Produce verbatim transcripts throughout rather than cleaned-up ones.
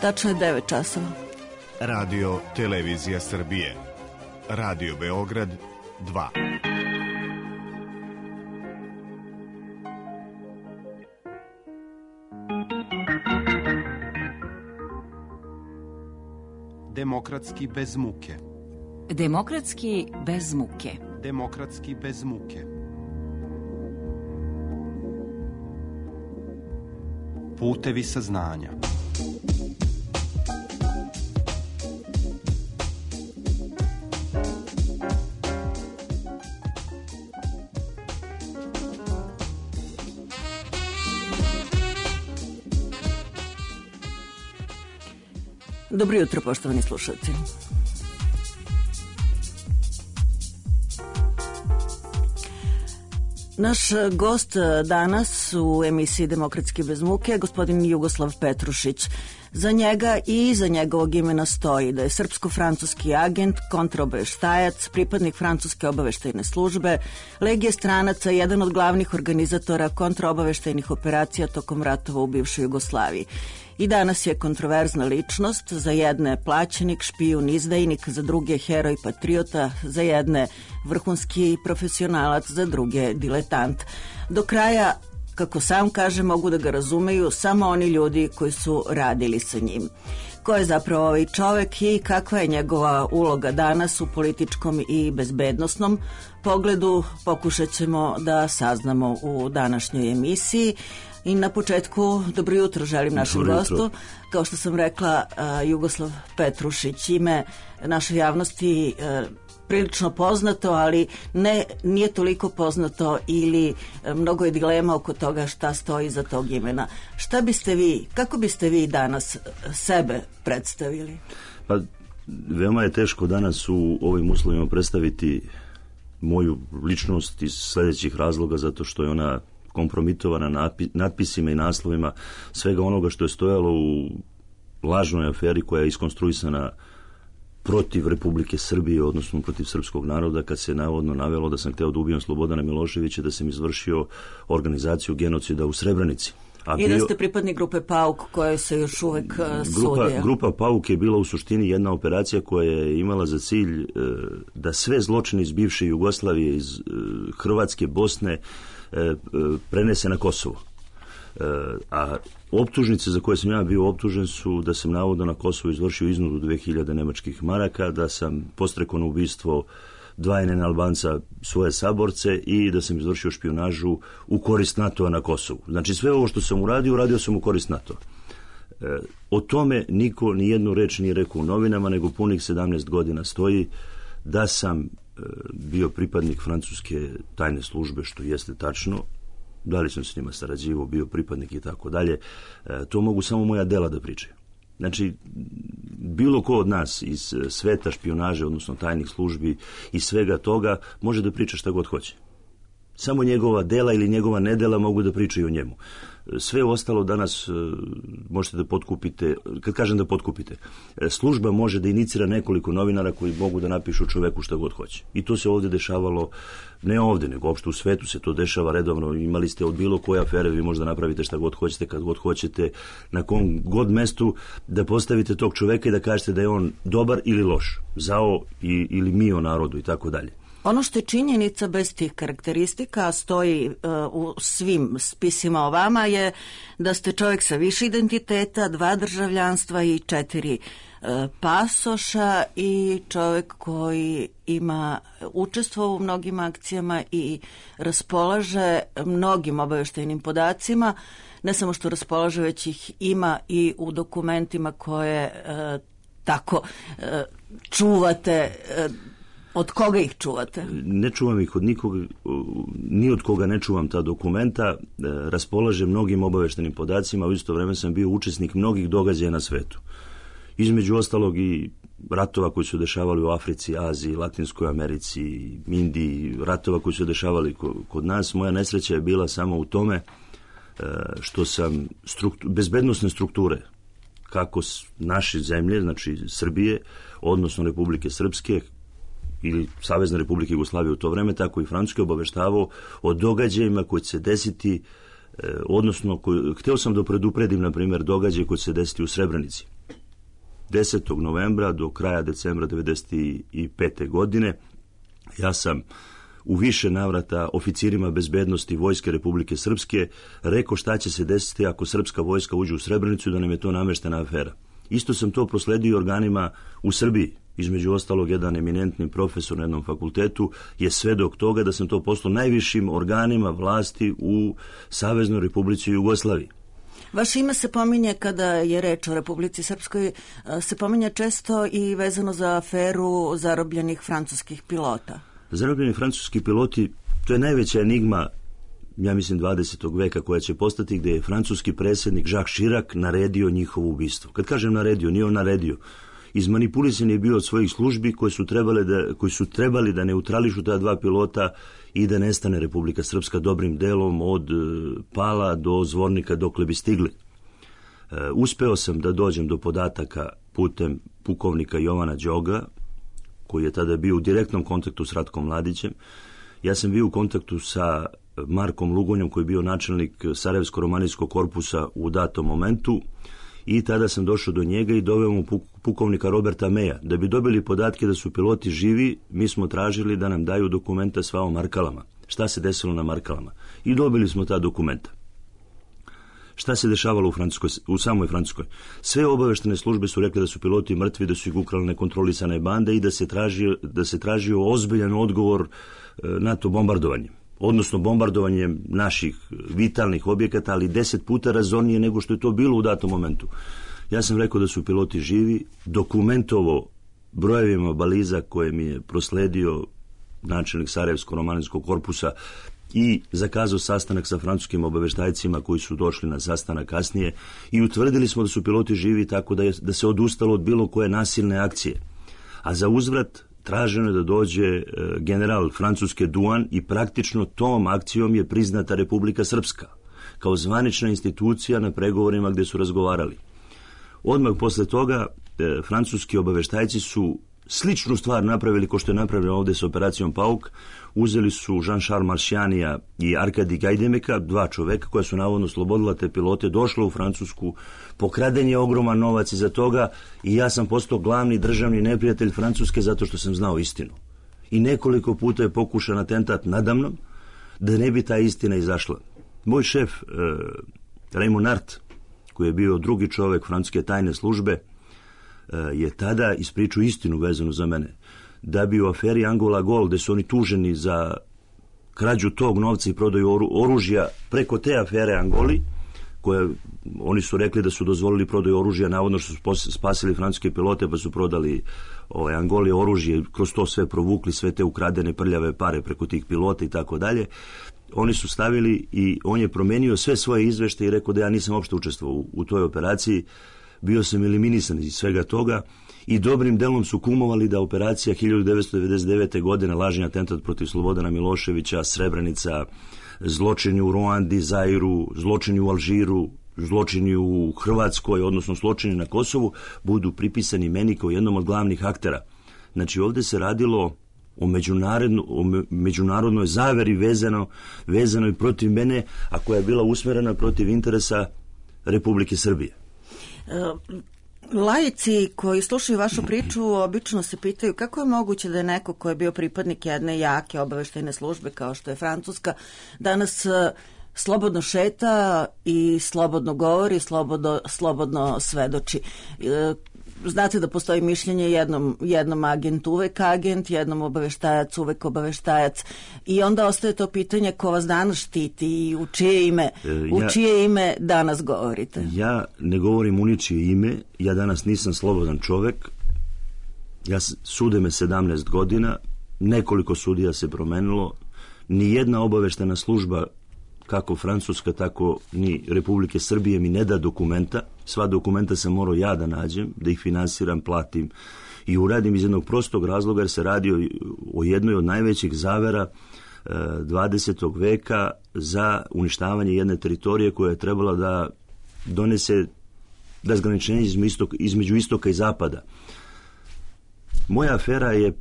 Tačno je devet časova. Radio Televizija Srbije. Radio Beograd dva. Demokratski bez muke. Demokratski bez muke. Demokratski bez muke. Putevi saznanja. Dobro jutro, poštovani slušalci. Naš gost danas u emisiji Demokratski bez muke je gospodin Jugoslav Petrušić. Za njega i iza njegovog imena stoji da je srpsko-francuski agent, kontraobaveštajac, pripadnik francuske obaveštajne službe, legije stranaca, jedan od glavnih organizatora kontraobaveštajnih operacija tokom ratova u bivšoj Jugoslaviji. I danas je kontroverzna ličnost, za jedne plaćenik, špijun, izdajnik, za druge heroj, patriota, za jedne vrhunski profesionalac, za druge diletant. Do kraja, kako sam kaže, mogu da ga razumeju samo oni ljudi koji su radili sa njim. Ko je zapravo ovaj čovek i kakva je njegova uloga danas u političkom i bezbednosnom pogledu, pokušat ćemo da saznamo u današnjoj emisiji. I na početku, dobro jutro želim našem gostu. Kao što sam rekla, uh, Jugoslav Petrušić, ime našoj javnosti uh, prilično poznato, ali ne, nije toliko poznato ili uh, mnogo je dilema oko toga šta stoji iza tog imena. Šta biste vi, kako biste vi danas sebe predstavili? Pa, veoma je teško danas u ovim uslovima predstaviti moju ličnost iz sledećih razloga, zato što je ona kompromitovana natpisima i naslovima svega onoga što je stojalo u lažnoj aferi koja je iskonstruisana protiv Republike Srbije, odnosno protiv srpskog naroda, kad se navodno navelo da sam hteo da ubijem Slobodana Miloševića, da sam izvršio organizaciju genocida u Srebrenici. A I bio, da ste pripadnik grupe Pauk koja se još uvek uh, grupa, sudi. Grupa Pauk je bila u suštini jedna operacija koja je imala za cilj uh, da sve zločine iz bivše Jugoslavije, iz uh, Hrvatske, Bosne, prenese na Kosovo. A optužnice za koje sam ja bio optužen su da sam navodno na Kosovo izvršio iznudu dve hiljade nemačkih maraka, da sam postrekao na ubistvo dva N N Albanca, svoje saborce, i da sam izvršio špijunažu u korist NATO-a na Kosovu. Znači sve ovo što sam uradio, uradio sam u korist NATO-a. O tome niko ni jednu reč nije rekao u novinama, nego punih sedamnaest godina stoji da sam bio pripadnik francuske tajne službe, što jeste tačno. Da li sam s njima sarađivao, bio pripadnik i tako dalje, to mogu samo moja dela da pričaju. Znači, bilo ko od nas iz sveta špijunaže, odnosno tajnih službi i svega toga, može da priča šta god hoće. Samo njegova dela ili njegova nedela mogu da pričaju o njemu. Sve ostalo danas možete da potkupite, kad kažem da potkupite, služba može da inicira nekoliko novinara koji mogu da napišu čoveku šta god hoće. I to se ovde dešavalo, ne ovde, nego uopšte u svetu se to dešava redovno. Imali ste od bilo koje afere, vi možda napravite šta god hoćete, kad god hoćete, na kom god mestu da postavite tog čoveka i da kažete da je on dobar ili loš, zao i, ili mio narodu i tako dalje. Ono što je činjenica bez tih karakteristika, stoji uh, u svim spisima o vama, je da ste čovjek sa više identiteta, dva državljanstva i četiri uh, pasoša i čovjek koji ima učestvovao u mnogim akcijama i raspolaže mnogim obaveštajnim podacima. Ne samo što raspolaže, već ih ima i u dokumentima koje uh, tako uh, čuvate. Uh, Od koga ih čuvate? Ne čuvam ih od nikoga, ni od koga ne čuvam ta dokumenta, raspolažem mnogim obaveštenim podacima, u isto vreme sam bio učesnik mnogih događaja na svetu. Između ostalog i ratova koji su dešavali u Africi, Aziji, Latinskoj Americi, Indiji, ratova koji su dešavali kod nas. Moja nesreća je bila samo u tome što sam struktu, bezbednosne strukture, kako naše zemlje, znači Srbije, odnosno Republike Srpske, ili Savezne Republike Jugoslavije u to vreme, tako i Francuske, obaveštavao o događajima koji će se desiti, eh, odnosno, koji, hteo sam da predupredim, na primjer, događaje koji će se desiti u Srebrenici. desetog novembra do kraja decembra devedeset pete. godine. Ja sam u više navrata oficirima bezbednosti Vojske Republike Srpske rekao šta će se desiti ako srpska vojska uđe u Srebrenicu i da nam je to nameštena afera. Isto sam to prosledio organima u Srbiji. Između ostalog, jedan eminentni profesor na jednom fakultetu je svedok toga da sam to poslao najvišim organima vlasti u Saveznoj Republici Jugoslaviji. Vaše ime se pominje kada je reč o Republici Srpskoj, se pominje često i vezano za aferu zarobljenih francuskih pilota. Zarobljeni francuski piloti, to je najveća enigma, ja mislim, dvadesetog veka koja će postati, gdje je francuski predsjednik Jacques Chirac naredio njihovo ubistvo. Kad kažem naredio, nije on naredio. Izmanipulisan je bio od svojih službi koji su trebali da, koji su trebali da neutrališu ta dva pilota i da nestane Republika Srpska dobrim delom od Pala do Zvornika dokle bi stigli. E, uspeo sam da dođem do podataka putem pukovnika Jovana Đoga, koji je tada bio u direktnom kontaktu s Ratkom Mladićem. Ja sam bio u kontaktu sa Markom Lugonjom, koji je bio načelnik Sarajevsko-romanijskog korpusa u datom momentu, i tada sam došao do njega i doveo mu pukovnika Roberta Meja. Da bi dobili podatke da su piloti živi, mi smo tražili da nam daju dokumenta sva o Markalama. Šta se desilo na Markalama? I dobili smo ta dokumenta. Šta se dešavalo u, Francuskoj, u samoj Francuskoj? Sve obaveštene službe su rekli da su piloti mrtvi, da su ih ukrali nekontrolisane bande i da se tražio, da se tražio ozbiljan odgovor na to bombardovanje. Odnosno bombardovanjem naših vitalnih objekata, ali deset puta razornije nego što je to bilo u datom momentu. Ja sam rekao da su piloti živi, dokumentovo brojevima baliza koje mi je prosledio načelnik Sarajevsko-romanijskog korpusa i zakazao sastanak sa francuskim obaveštajcima koji su došli na sastanak kasnije i utvrdili smo da su piloti živi, tako da, je, da se odustalo od bilo koje nasilne akcije. A za uzvrat traženo je da dođe general francuske Duan i praktično tom akcijom je priznata Republika Srpska kao zvanična institucija na pregovorima gdje su razgovarali. Odmah posle toga e, francuski obaveštajci su sličnu stvar napravili kao što je napravljeno ovdje s operacijom Pauk. Uzeli su Jean-Charles Marchianija i Arkadi Gajdemeka, dva čoveka koja su navodno slobodila te pilote, došla u Francusku, pokraden je ogroman novac iza toga i ja sam postao glavni državni neprijatelj Francuske zato što sam znao istinu. I nekoliko puta je pokušan atentat nadamnom da ne bi ta istina izašla. Moj šef, eh, Raymond Art, koji je bio drugi čovek francuske tajne službe, eh, je tada ispričao istinu vezanu za mene. Da bi u aferi Angola Gol, gde su oni tuženi za krađu tog novca i prodaju oru, oružja preko te afere Angoli, koje oni su rekli da su dozvolili prodaju oružja, navodno što su spasili francuske pilote pa su prodali ovaj, Angoli oružje, kroz to sve provukli, sve te ukradene prljave pare preko tih pilota i tako dalje. Oni su stavili i on je promenio sve svoje izveštaje i rekao da ja nisam uopšte učestvovao u, u toj operaciji, bio sam eliminisan iz svega toga i dobrim delom su kumovali da operacija hiljadu devetsto devedeset devete. godine, lažni atentat protiv Slobodana Miloševića, Srebrenica, zločini u Ruandi, Zairu, zločini u Alžiru, zločini u Hrvatskoj, odnosno zločini na Kosovu, budu pripisani meni kao jednom od glavnih aktera. Znači ovdje se radilo o, međunarodno, o međunarodnoj zaveri vezano, vezano i protiv mene, a koja je bila usmjerena protiv interesa Republike Srbije. Laici koji slušaju vašu priču obično se pitaju kako je moguće da je neko ko je bio pripadnik jedne jake obaveštajne službe kao što je Francuska danas slobodno šeta i slobodno govori, slobodno, slobodno svedoči. Znate da postoji mišljenje jednom, jednom agent uvek agent, jednom obaveštajac uvek obaveštajac i onda ostaje to pitanje ko vas danas štiti i u čije ime, u ja, čije ime danas govorite. Ja ne govorim u ničije ime, ja danas nisam slobodan čovek, ja sude me sedamnaest godina, nekoliko sudija se promenilo, ni jedna obaveštena služba kako Francuska, tako ni Republike Srbije mi ne da dokumenta. Sva dokumenta sam morao ja da nađem, da ih finansiram, platim i uradim iz jednog prostog razloga jer se radi o, o jednoj od najvećih zavera e, dvadesetog veka za uništavanje jedne teritorije koja je trebala da donese razgraničenje između, istok, između istoka i zapada. Moja afera je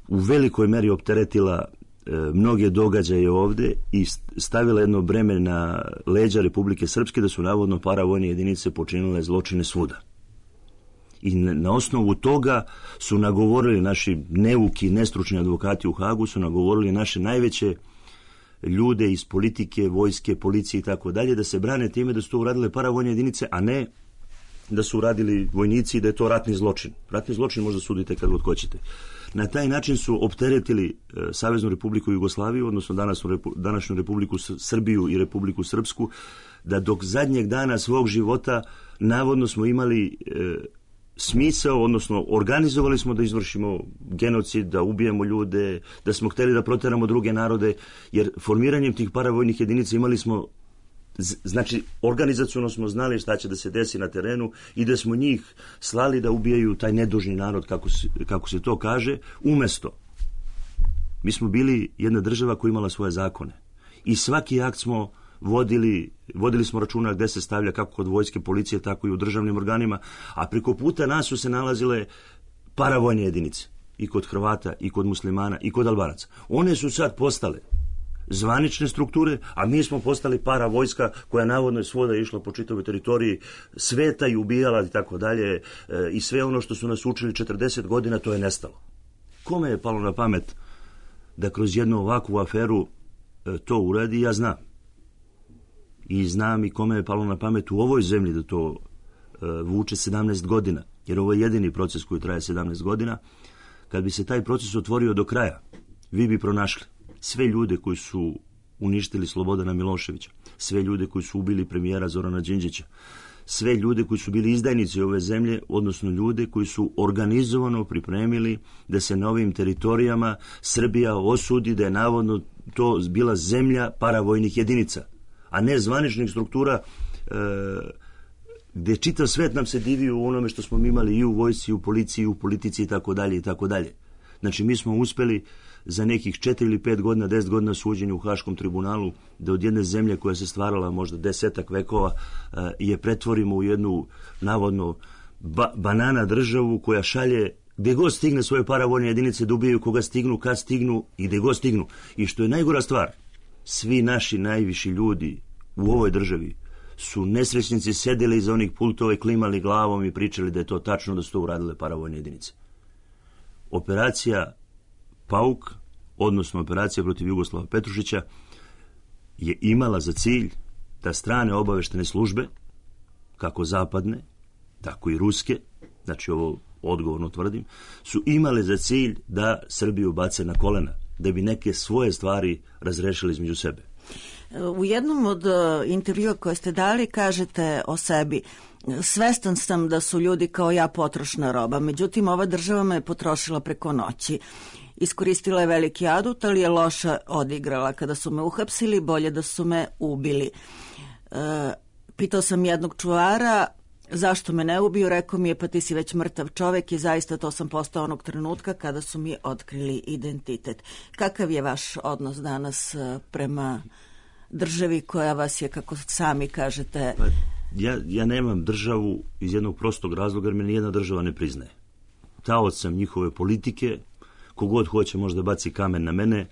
u velikoj meri opteretila mnoge događaje ovdje i stavila jedno breme na leđa Republike Srpske da su navodno paravojne jedinice počinile zločine svuda. I na osnovu toga su nagovorili naši neuki, nestručni advokati u Hagu, su nagovorili naše najveće ljude iz politike, vojske, policije i tako dalje, da se brane time da su to uradile paravojne jedinice, a ne da su uradili vojnici i da je to ratni zločin. Ratni zločin možda sudite kad god hoćete. Na taj način su opteretili e, Saveznu Republiku Jugoslaviju, odnosno današnju, repu, današnju Republiku Srbiju i Republiku Srpsku, da dok zadnjeg dana svog života navodno smo imali e, smisao, odnosno organizovali smo da izvršimo genocid, da ubijemo ljude, da smo hteli da proteramo druge narode, jer formiranjem tih paravojnih jedinica imali smo, znači organizaciono smo znali šta će da se desi na terenu i da smo njih slali da ubijaju taj nedužni narod, kako se, kako se to kaže, umesto. Mi smo bili jedna država koja imala svoje zakone i svaki akt smo vodili, vodili smo računa gde se stavlja, kako kod vojske, policije, tako i u državnim organima, a preko puta nas su se nalazile paravojne jedinice i kod Hrvata, i kod muslimana, i kod Albanaca. One su sad postale zvanične strukture, a mi smo postali paravojska koja navodno je svuda išla po čitavoj teritoriji sveta i ubijala i tako dalje, i sve ono što su nas učili četrdeset godina, to je nestalo. Kome je palo na pamet da kroz jednu ovakvu aferu to uradi, ja znam. I znam i kome je palo na pamet u ovoj zemlji da to uh, vuče sedamnaest godina, jer ovo je jedini proces koji traje sedamnaest godina. Kad bi se taj proces otvorio do kraja, vi bi pronašli sve ljude koji su uništili Slobodana Miloševića, sve ljude koji su ubili premijera Zorana Đinđića, sve ljude koji su bili izdajnici ove zemlje, odnosno ljude koji su organizovano pripremili da se na ovim teritorijama Srbija osudi da je navodno to bila zemlja paravojnih jedinica, a ne zvaničnih struktura e, gde čitav svet nam se divio u onome što smo imali i u vojsci, i u policiji, i u politici i tako dalje i tako dalje. Znači mi smo uspeli za nekih četiri ili pet godina, deset godina suđenja u Haškom tribunalu da od jedne zemlje koja se stvarala možda desetak vekova e, je pretvorimo u jednu navodno ba, banana državu koja šalje gde god stigne svoje paravojne jedinice da ubijaju koga stignu, kad stignu i gde god stignu. I što je najgora stvar, svi naši najviši ljudi u ovoj državi su nesrećnici sedeli iza onih pultova i klimali glavom i pričali da je to tačno, da su to uradile paravojne jedinice. Operacija Pauk, odnosno operacija protiv Jugoslava Petrušića, je imala za cilj da strane obaveštene službe, kako zapadne, tako i ruske, znači ovo odgovorno tvrdim, su imale za cilj da Srbiju bace na kolena, da bi neke svoje stvari razrešili između sebe. U jednom od intervjua koje ste dali kažete o sebi: svestan sam da su ljudi kao ja potrošna roba, međutim ova država me je potrošila preko noći. Iskoristila je veliki adut, ali je loša odigrala. Kada su me uhapsili, bolje da su me ubili. E, pitao sam jednog čuvara zašto me ne ubiju, rekao mi je pa ti si već mrtav čovek, i zaista to sam postao onog trenutka kada su mi otkrili identitet. Kakav je vaš odnos danas prema državi koja vas je, kako sami kažete... Pa, ja, ja nemam državu iz jednog prostog razloga, jer me nijedna država ne priznaje. Taoc sam njihove politike, kogod hoće možda baci kamen na mene,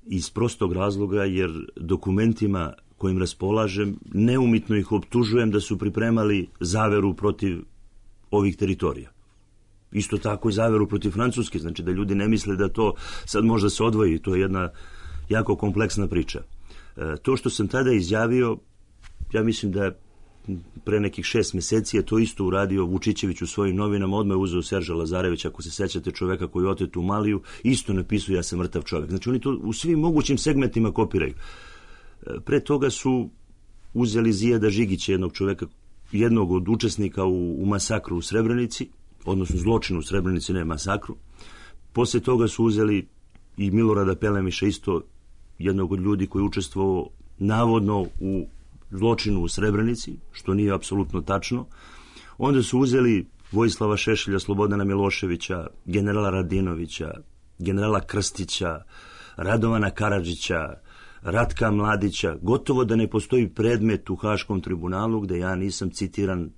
iz prostog razloga jer dokumentima kojim raspolažem neumitno ih optužujem da su pripremali zaveru protiv ovih teritorija. Isto tako i zaveru protiv Francuske, znači da ljudi ne misle da to sad možda se odvoji, to je jedna jako kompleksna priča. E, to što sam tada izjavio, ja mislim da pre nekih šest meseci je to isto uradio Vučićević u svojim novinama, odmah je uzeo Serža Lazarevića, ako se sećate, čoveka koji je otet u Maliju, isto napisao ja sam mrtav čovek. Znači oni to u svim mogućim segmentima kopiraju. Pre toga su uzeli Zijada Žigića, jednog čoveka, jednog od učesnika u, u masakru u Srebrenici, odnosno zločinu u Srebrenici, ne masakru. Posle toga su uzeli i Milorada Pelemiša, isto jednog od ljudi koji je učestvovao navodno u zločinu u Srebrenici, što nije apsolutno tačno. Onda su uzeli Vojislava Šešelja, Slobodana Miloševića, generala Radinovića, generala Krstića, Radovana Karadžića, Ratka Mladića. Gotovo da ne postoji predmet u Haškom tribunalu gde ja nisam citiran e,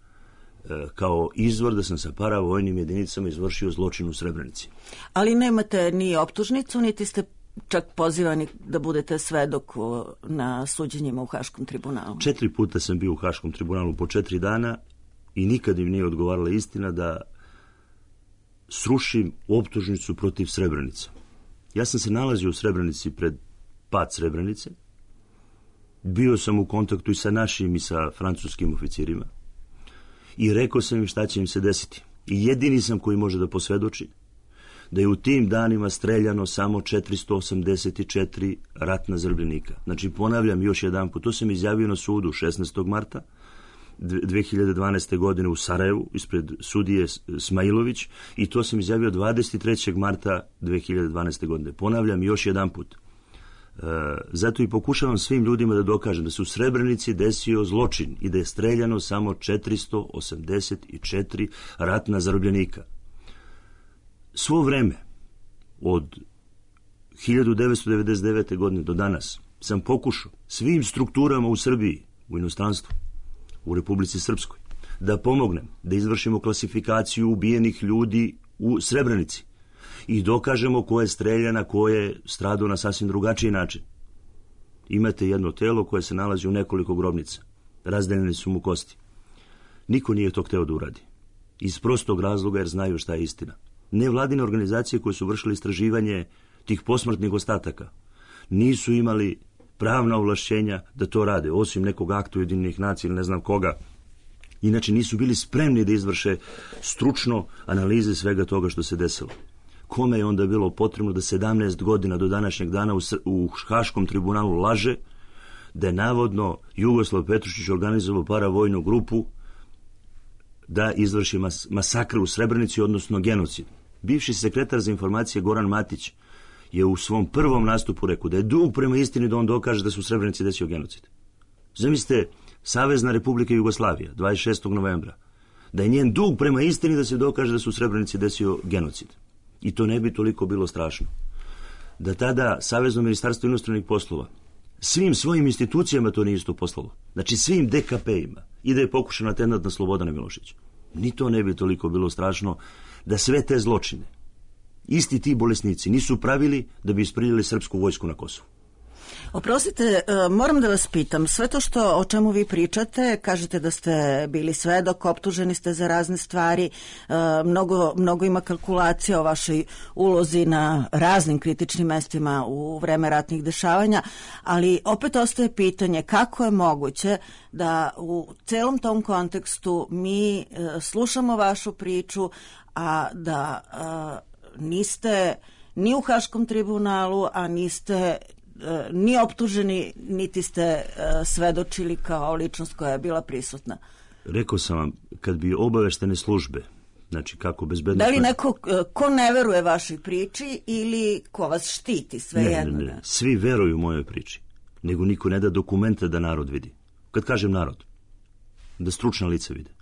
kao izvor da sam sa paravojnim jedinicama izvršio zločin u Srebrenici. Ali nemate ni optužnicu, niti ste čak pozivani da budete svedok na suđenjima u Haškom tribunalu. Četiri puta sam bio u Haškom tribunalu po četiri dana i nikad im nije odgovarala istina da srušim optužnicu protiv Srebrenice. Ja sam se nalazio u Srebrenici pred pad Srebrenice. Bio sam u kontaktu i sa našim i sa francuskim oficirima i rekao sam im šta će im se desiti. I jedini sam koji može da posvedoči da je u tim danima streljano samo četiristo osamdeset četiri ratna zarobljenika. Znači, ponavljam još jedan put, to sam izjavio na sudu šesnaestog marta dve hiljade dvanaeste. godine u Sarajevu ispred sudije Smailović i to sam izjavio dvadeset trećeg marta dve hiljade dvanaeste. godine. Ponavljam još jedan put. E, zato i pokušavam svim ljudima da dokažem da se u Srebrenici desio zločin i da je streljano samo četiristo osamdeset četiri ratna zarobljenika. Svo vreme od hiljadu devetsto devedeset devete. godine do danas sam pokušao svim strukturama u Srbiji, u inostranstvu, u Republici Srpskoj, da pomognem, da izvršimo klasifikaciju ubijenih ljudi u Srebrenici i dokažemo ko je streljan, a ko je stradao na sasvim drugačiji način. Imate jedno telo koje se nalazi u nekoliko grobnica. Razdeljene su mu kosti. Niko nije to hteo da uradi. Iz prostog razloga jer znaju šta je istina. Nevladine organizacije koje su vršile istraživanje tih posmrtnih ostataka nisu imali pravna ovlašćenja da to rade, osim nekog akta Ujedinjenih nacija ili ne znam koga. Inače nisu bili spremni da izvrše stručno analize svega toga što se desilo. Kome je onda bilo potrebno da sedamnaest godina do današnjeg dana u, u Haškom tribunalu laže da je navodno Jugoslav Petrušić organizovao paravojnu grupu da izvrši mas, masakr u Srebrenici, odnosno genocid. Bivši sekretar za informacije Goran Matić je u svom prvom nastupu rekao da je dug prema istini da on dokaže da su u Srebrenici desio genocid. Zamislite, Savezna Republika Jugoslavija, dvadeset šestog novembra, da je njen dug prema istini da se dokaže da su u Srebrenici desio genocid. I to ne bi toliko bilo strašno. Da tada Savezno ministarstvo inostranih poslova svim svojim institucijama to nije isto poslalo. Znači svim de ka pe-ima. I da je pokušana atentat na Slobodana Miloševića. Ni to ne bi toliko bilo strašno da sve te zločine isti ti bolesnici nisu pravili da bi ispriljali srpsku vojsku na Kosovu. Oprostite, moram da vas pitam, sve to što o čemu vi pričate, kažete da ste bili svedok, optuženi ste za razne stvari, mnogo, mnogo ima kalkulacija o vašoj ulozi na raznim kritičnim mestima u vreme ratnih dešavanja, ali opet ostaje pitanje kako je moguće da u celom tom kontekstu mi slušamo vašu priču, a da niste ni u Haškom tribunalu, a niste ni optuženi, niti ste svedočili kao ličnost koja je bila prisutna. Rekao sam vam, kad bi obaveštene službe, znači kako bezbedno... Da li neko ko ne veruje vašoj priči ili ko vas štiti, sve ne, jedno? Ne, ne, svi veruju mojoj priči, nego niko ne da dokumente da narod vidi. Kad kažem narod, da stručna lica vide.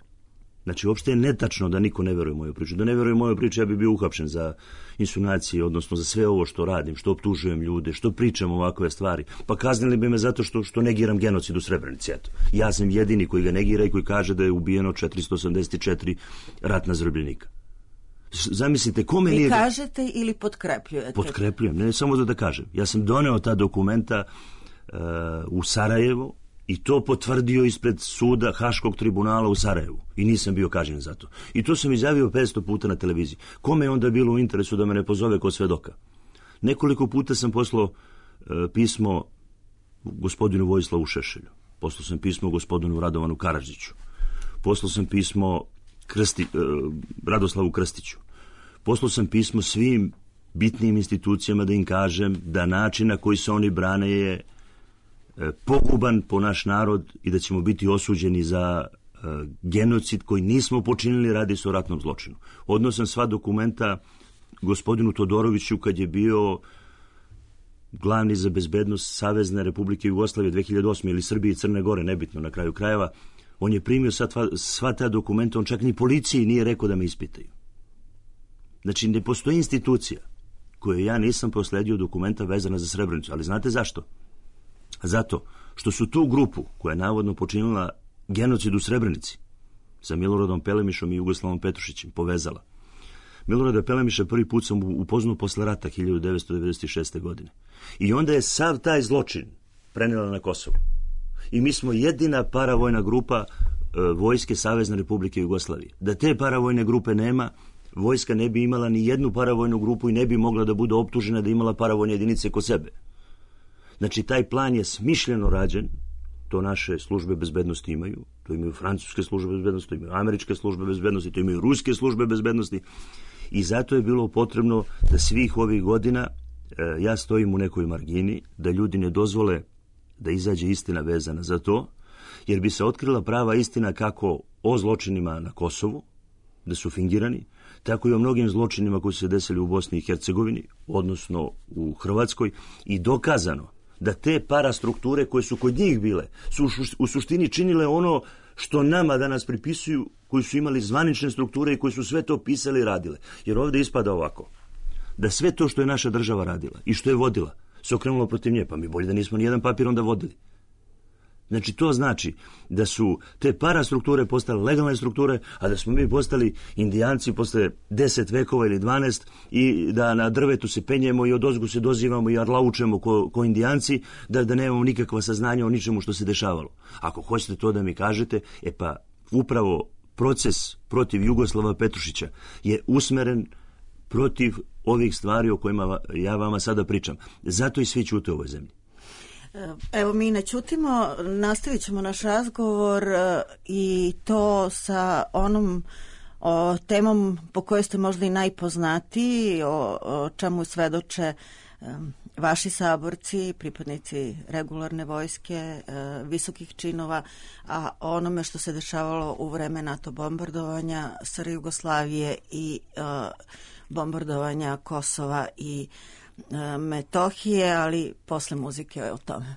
Znači, uopšte je netačno da niko ne veruje u moju priču. Da ne veruje u moju priču, ja bi bio uhapšen za insinuacije, odnosno za sve ovo što radim, što optužujem ljude, što pričam ovakve stvari. Pa kaznili bi me zato što, što negiram genocid u Srebrenici. Eto. Ja sam jedini koji ga negira i koji kaže da je ubijeno četiristo osamdeset četiri ratna zarobljenika. Zamislite, kome Vi nije... Vi kažete ili potkrepljujete? Potkrepljujem, ne samo da da kažem. Ja sam doneo ta dokumenta uh, u Sarajevo, i to potvrdio ispred suda Haškog tribunala u Sarajevu. I nisam bio kažnjen za to. I to sam izjavio petsto puta na televiziji. Kome je onda bilo u interesu da me ne pozove kao svedoka? Nekoliko puta sam poslao e, pismo gospodinu Vojislavu Šešelju. Poslao sam pismo gospodinu Radovanu Karadžiću. Poslao sam pismo Krsti, e, Radoslavu Krstiću. Poslao sam pismo svim bitnim institucijama da im kažem da način na koji se oni brane je poguban po naš narod i da ćemo biti osuđeni za uh, genocid koji nismo počinili, radi se o ratnom zločinu. Odnosam sva dokumenta gospodinu Todoroviću kad je bio glavni za bezbednost Savezne Republike Jugoslavije dve hiljade osme ili Srbije i Crne Gore, nebitno na kraju krajeva. On je primio sva, sva ta dokumenta, on čak ni policiji nije rekao da me ispitaju. Znači, ne postoji institucija koju ja nisam prosledio dokumenta vezana za Srebrenicu, ali znate zašto? Zato što su tu grupu koja je navodno počinila genocid u Srebrenici sa Miloradom Pelemišom i Jugoslavom Petrušićem povezala. Milorada Pelemiša prvi put sam upoznao posle rata hiljadu devetsto devedeset šeste. godine. I onda je sav taj zločin prenela na Kosovo. I mi smo jedina paravojna grupa vojske Savezne Republike Jugoslavije. Da te paravojne grupe nema, vojska ne bi imala ni jednu paravojnu grupu i ne bi mogla da bude optužena da imala paravojne jedinice kod sebe. Znači, taj plan je smišljeno rađen, to naše službe bezbednosti imaju, to imaju francuske službe bezbednosti, to imaju američke službe bezbednosti, to imaju ruske službe bezbednosti i zato je bilo potrebno da svih ovih godina e, ja stojim u nekoj margini, da ljudi ne dozvole da izađe istina vezana za to, jer bi se otkrila prava istina kako o zločinima na Kosovu, da su fingirani, tako i o mnogim zločinima koji su se desili u Bosni i Hercegovini, odnosno u Hrvatskoj, i dokazano da te parastrukture koje su kod njih bile su u suštini činile ono što nama danas pripisuju, koji su imali zvanične strukture i koji su sve to pisali i radile. Jer ovdje ispada ovako, da sve to što je naša država radila i što je vodila se okrenulo protiv nje, pa mi bolje da nismo nijedan papir onda vodili. Znači, to znači da su te parastrukture postale legalne strukture, a da smo mi postali indijanci posle deset vekova ili dvanaest i da na drvetu se penjemo i odozgu se dozivamo i arlaučemo ko, ko indijanci, da, da nemamo nikakva saznanja o ničemu što se dešavalo. Ako hoćete to da mi kažete, e pa upravo proces protiv Jugoslava Petrušića je usmeren protiv ovih stvari o kojima ja vama sada pričam. Zato i svi ćute u ovoj zemlji. Evo, mi ne ćutimo, nastavit ćemo naš razgovor i to sa onom o, temom po kojoj ste možda i najpoznatiji, o, o čemu svedoče um, vaši saborci, pripadnici regularne vojske, uh, visokih činova, a onome što se dešavalo u vreme NATO bombardovanja S R Jugoslavije i uh, bombardovanja Kosova i Metohije, ali posle muzike o tome.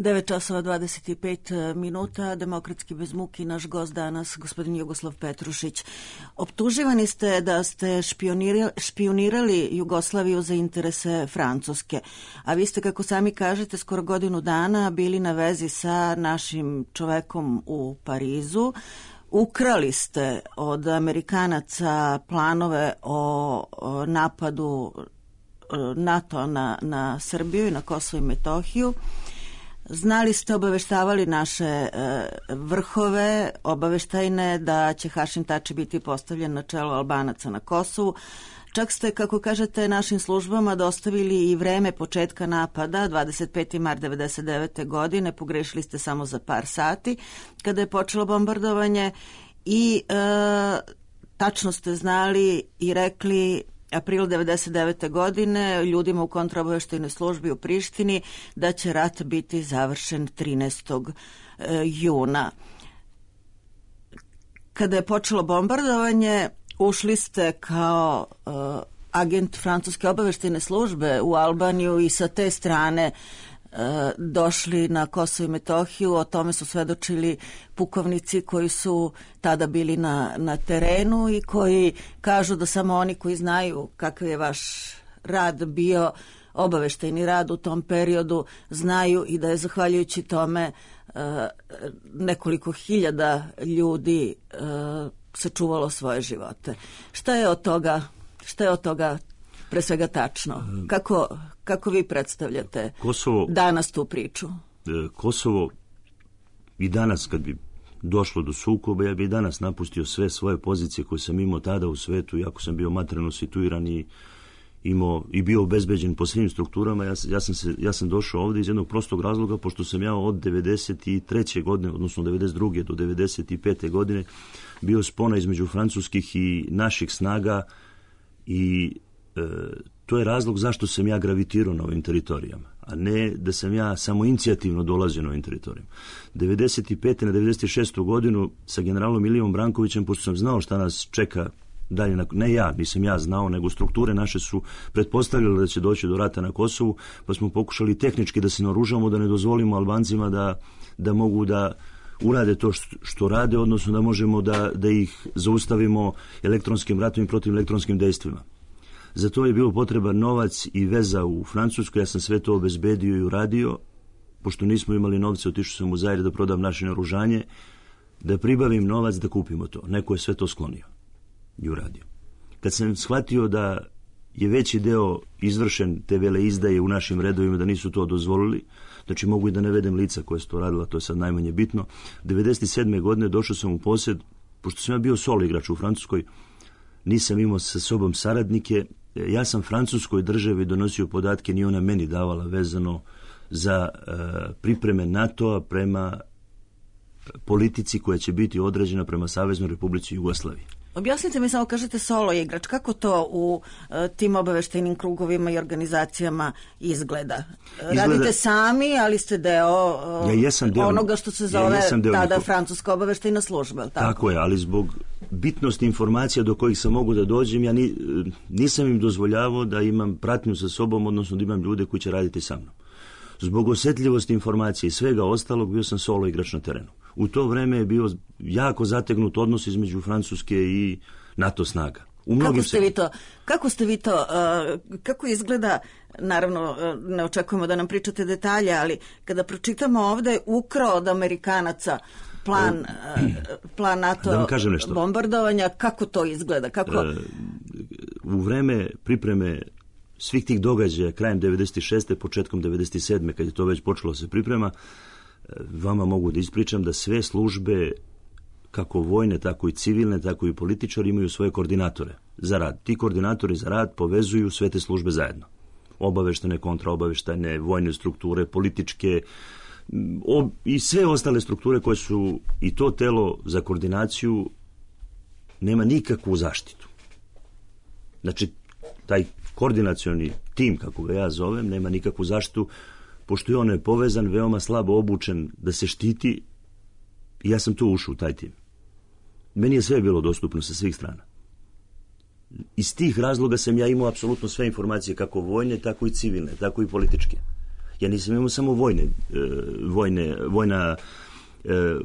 devet časova dvadeset pet minuta, Demokratski bez muki, naš gost danas, gospodin Jugoslav Petrušić. Optuživani ste da ste špionirali, špionirali Jugoslaviju za interese Francuske, a vi ste, kako sami kažete, skoro godinu dana bili na vezi sa našim čovekom u Parizu. Ukrali ste od Amerikanaca planove o, o napadu NATO na, na Srbiju i na Kosovo i Metohiju. Znali ste, obaveštavali naše e, vrhove obaveštajne da će Hašim Tači biti postavljen na čelo Albanaca na Kosovu. Čak ste, kako kažete, našim službama dostavili i vreme početka napada, dvadeset peti mart devedeset devete. godine, pogrešili ste samo za par sati kada je počelo bombardovanje i e, tačno ste znali i rekli april devedeset devete. godine ljudima u kontraobaveštajnoj službi u Prištini da će rat biti završen trinaestog juna. Kada je počelo bombardovanje, ušli ste kao uh, agent francuske obaveštajne službe u Albaniju i sa te strane uh, došli na Kosovo i Metohiju. O tome su svedočili pukovnici koji su tada bili na, na terenu i koji kažu da samo oni koji znaju kakav je vaš rad bio, obaveštajni rad u tom periodu, znaju i da je zahvaljujući tome uh, nekoliko hiljada ljudi uh, sačuvalo svoje živote. Šta je od toga, šta je od toga pre svega tačno? Kako, kako vi predstavljate Kosovo, danas tu priču? Kosovo i danas, kad bi došlo do sukoba, ja bi i danas napustio sve svoje pozicije koje sam imao tada u svetu, iako sam bio materijalno situiran i imao i bio obezbeđen po svim strukturama. Ja, ja, sam se, ja sam došao ovdje iz jednog prostog razloga, pošto sam ja od devedeset treće. godine, odnosno devedeset druge. do devedeset pete. godine bio spona između francuskih i naših snaga i e, to je razlog zašto sam ja gravitirao na ovim teritorijama, a ne da sam ja samo inicijativno dolazio na ovim teritorijama. devedeset pete. na devedeset šestu. godinu sa generalom Ilijom Brankovićem, pošto sam znao šta nas čeka dalje, na, ne ja, nisam ja znao, nego strukture naše su pretpostavljale da će doći do rata na Kosovu, pa smo pokušali tehnički da se naoružamo, da ne dozvolimo Albancima da, da mogu da urade to što, što rade, odnosno da možemo da, da ih zaustavimo elektronskim ratom i protiv elektronskim dejstvima. Za to je bilo potreban novac i veza u Francuskoj. Ja sam sve to obezbedio i uradio. Pošto nismo imali novce, otišao sam u Zaire da prodam naše naoružanje, da pribavim novac da kupimo to. Neko je sve to sklonio i uradio. Kad sam shvatio da je veći deo izvršen te vele izdaje u našim redovima, da nisu to dozvolili, znači mogu i da ne vedem lica koje su to radila, to je sad najmanje bitno. devedeset sedme. godine došao sam u posjed, pošto sam ja bio solo igrač u Francuskoj, nisam imao sa sobom saradnike, ja sam Francuskoj državi donosio podatke, ni ona meni davala, vezano za e, pripreme NATO-a prema politici koja će biti određena prema Saveznoj Republici Jugoslaviji. Objasnite mi, samo kažete solo igrač, kako to u uh, tim obaveštajnim krugovima i organizacijama izgleda? izgleda? Radite sami, ali ste deo, uh, ja jesam deo onoga što se zove ja tada njihov... Francuska obaveštajna služba. Tako? tako je, ali zbog bitnosti informacija do kojih sam mogu da dođem, ja ni, nisam im dozvoljavao da imam pratnju sa sobom, odnosno da imam ljude koji će raditi sa mnom. Zbog osjetljivosti informacije i svega ostalog bio sam solo igrač na terenu. U to vreme je bio jako zategnut odnos između Francuske i NATO snaga. U kako ste vi to, kako ste vi to, uh, kako izgleda, naravno uh, ne očekujemo da nam pričate detalje, ali kada pročitamo ovde ukrao od Amerikanaca plan, uh, plan NATO bombardovanja, kako to izgleda? Kako... Uh, u vreme pripreme svih tih događaja krajem devedeset šeste. početkom devedeset sedme. kad je to već počelo se priprema, vama mogu da ispričam da sve službe, kako vojne, tako i civilne, tako i političari, imaju svoje koordinatore za rad. Ti koordinatori za rad povezuju sve te službe zajedno. Obaveštene, kontraobaveštajne, vojne strukture, političke ob, i sve ostale strukture koje su, i to telo za koordinaciju nema nikakvu zaštitu. Znači, taj koordinacioni tim, kako ga ja zovem, nema nikakvu zaštitu, pošto je on je povezan, veoma slabo obučen da se štiti, i ja sam tu ušao u taj tim. Meni je sve bilo dostupno sa svih strana. Iz tih razloga sam ja imao apsolutno sve informacije, kako vojne, tako i civilne, tako i političke. Ja nisam imao samo vojne, vojne, vojna,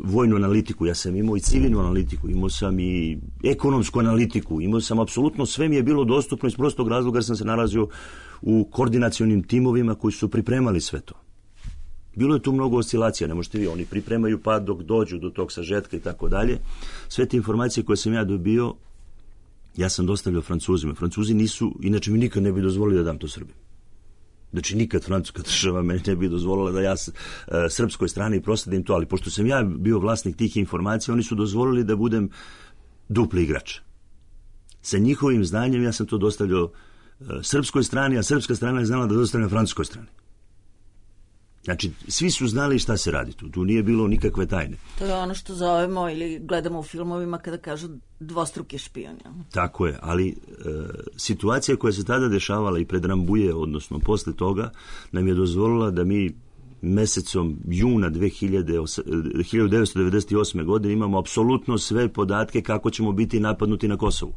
vojnu analitiku, ja sam imao i civilnu analitiku, imao sam i ekonomsku analitiku, imao sam apsolutno sve mi je bilo dostupno iz prostog razloga jer sam se nalazio u koordinacionim timovima koji su pripremali sve to. Bilo je tu mnogo oscilacija, ne možete vi, oni pripremaju pa dok dođu do tog sažetka i tako dalje. Sve te informacije koje sam ja dobio, ja sam dostavljao Francuzima. Francuzi nisu, inače mi nikad ne bi dozvolili da dam to Srbima. Znači nikad francuska država meni ne bi dozvolila da ja s, e, srpskoj strani prosledim to, ali pošto sam ja bio vlasnik tih informacija, oni su dozvolili da budem dupli igrač. Sa njihovim znanjem ja sam to dostavljao e, srpskoj strani, a srpska strana je znala da dostavljam francuskoj strani. Znači, svi su znali šta se radi tu. Tu nije bilo nikakve tajne. To je ono što zovemo ili gledamo u filmovima kada kažu dvostruki špion. Ja. Tako je, ali e, situacija koja se tada dešavala i pred Rambuje, odnosno posle toga, nam je dozvolila da mi mesecom juna hiljadu devetsto devedeset osme. godine imamo apsolutno sve podatke kako ćemo biti napadnuti na Kosovu.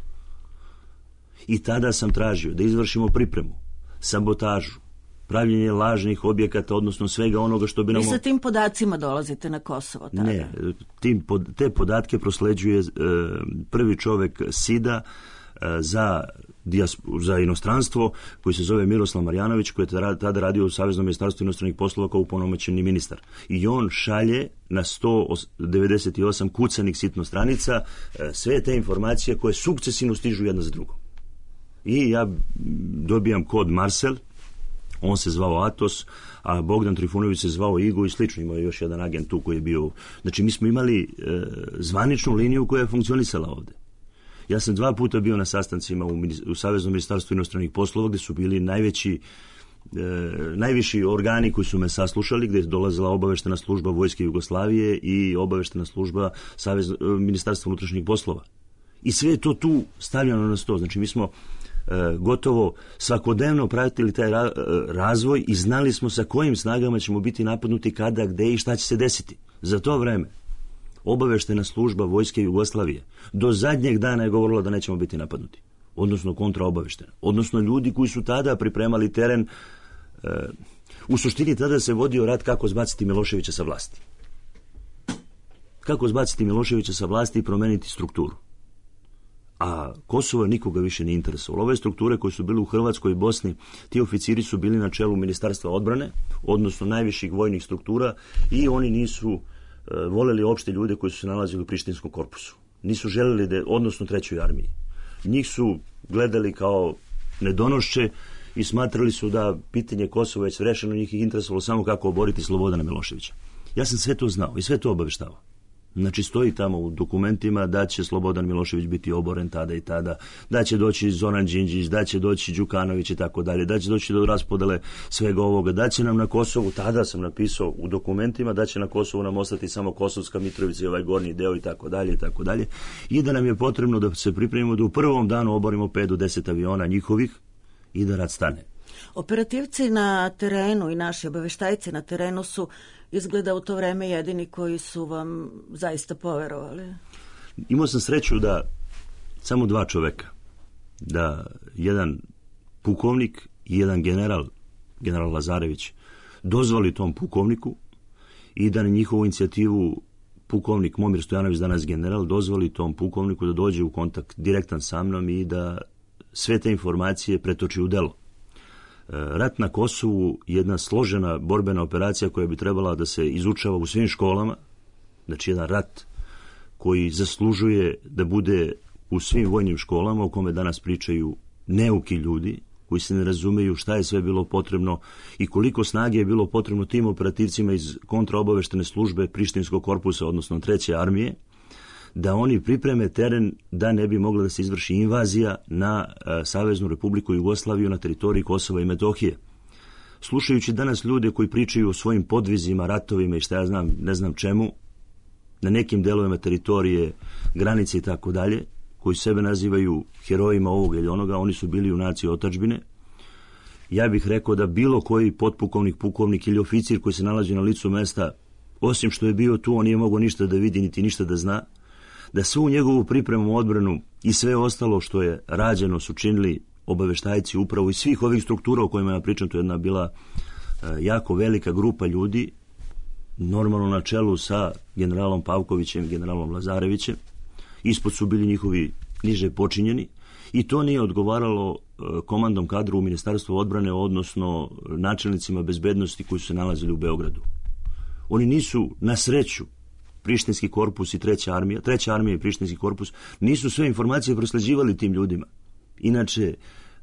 I tada sam tražio da izvršimo pripremu, sabotažu, pravljenje lažnih objekata, odnosno svega onoga što bi nam... Vi sa tim podacima dolazite na Kosovo tada? Ne, tim, te podatke prosleđuje e, prvi čovek SIDA e, za, za inostranstvo, koji se zove Miroslav Marjanović, koji je tada radio u Saveznom ministarstvu inostranih poslova kao upunomoćeni ministar. I on šalje na sto devedeset osam kucanih sitno stranica e, sve te informacije koje sukcesivno stižu jedna za drugom. I ja dobijam kod Marcel, on se zvao Atos, a Bogdan Trifunović se zvao Igo i slično. Imao je još jedan agent tu koji je bio... Znači, mi smo imali e, zvaničnu liniju koja je funkcionisala ovde. Ja sam dva puta bio na sastancima u, u Saveznom ministarstvu inostranih poslova, gde su bili najveći, e, najviši organi koji su me saslušali, gde je dolazila obaveštena služba Vojske Jugoslavije i obaveštena služba Savez, ministarstva unutrašnjih poslova. I sve je to tu stavljeno na sto. Znači, mi smo E, gotovo svakodnevno pratili taj ra, razvoj i znali smo sa kojim snagama ćemo biti napadnuti, kada, gde i šta će se desiti. Za to vreme obaveštena služba Vojske Jugoslavije do zadnjeg dana je govorila da nećemo biti napadnuti, odnosno kontraobaveštena, odnosno ljudi koji su tada pripremali teren. E, u suštini tada se vodio rat kako zbaciti Miloševića sa vlasti. Kako zbaciti Miloševića sa vlasti i promeniti strukturu. A Kosovo nikoga više nije interesovalo. Ove strukture koje su bile u Hrvatskoj i Bosni, ti oficiri su bili na čelu Ministarstva odbrane, odnosno najviših vojnih struktura, i oni nisu e, voleli opšte ljude koji su se nalazili u Prištinskom korpusu. Nisu želeli da, odnosno trećoj armiji. Njih su gledali kao nedonošće i smatrali su da pitanje Kosova je već rešeno, njih ih interesovalo samo kako oboriti Slobodana Miloševića. Ja sam sve to znao i sve to obaveštavao. Znači, stoji tamo u dokumentima da će Slobodan Milošević biti oboren tada i tada, da će doći Zoran Đinđić, da će doći Đukanović i tako dalje, da će doći do raspodele svega ovoga, da će nam na Kosovu, tada sam napisao u dokumentima, da će na Kosovu nam ostati samo Kosovska Mitrovica i ovaj gornji deo i tako dalje i tako dalje, i da nam je potrebno da se pripremimo da u prvom danu oborimo pet do deset aviona njihovih i da rat stane. Operativci na terenu i naši obaveštajci na terenu su izgleda u to vreme jedini koji su vam zaista poverovali. Imao sam sreću da samo dva čoveka, da jedan pukovnik i jedan general, general Lazarević, dozvoli tom pukovniku i da na njihovu inicijativu pukovnik Momir Stojanović, danas general, dozvoli tom pukovniku da dođe u kontakt direktan sa mnom i da sve te informacije pretoči u delo. Rat na Kosovu je jedna složena borbena operacija koja bi trebala da se izučava u svim školama. Znači, jedan rat koji zaslužuje da bude u svim vojnim školama, o kome danas pričaju neuki ljudi koji se ne razumeju šta je sve bilo potrebno i koliko snage je bilo potrebno tim operativcima iz kontraobaveštene službe Prištinskog korpusa, odnosno treće armije, da oni pripreme teren da ne bi mogla da se izvrši invazija na a, Saveznu Republiku Jugoslaviju na teritoriji Kosova i Metohije. Slušajući danas ljude koji pričaju o svojim podvizima, ratovima i šta ja znam, ne znam čemu, na nekim delovima teritorije, granice i tako dalje, koji sebe nazivaju herojima ovoga ili onoga, oni su bili junaci otadžbine. Ja bih rekao da bilo koji potpukovnik, pukovnik ili oficir koji se nalazi na licu mesta, osim što je bio tu, on nije mogao ništa da vidi niti ništa da zna, da svu njegovu pripremu, odbranu i sve ostalo što je rađeno su činili obaveštajci upravo iz svih ovih struktura o kojima ja pričam. To je jedna bila jako velika grupa ljudi, normalno na čelu sa generalom Pavkovićem, generalom Lazarevićem, ispod su bili njihovi niže počinjeni, i to nije odgovaralo komandom kadru u Ministarstvu odbrane, odnosno načelnicima bezbednosti koji su se nalazili u Beogradu. Oni nisu, na sreću, Prištinski korpus i treća armija, treća armija i Prištinski korpus, nisu sve informacije prosleđivali tim ljudima. Inače,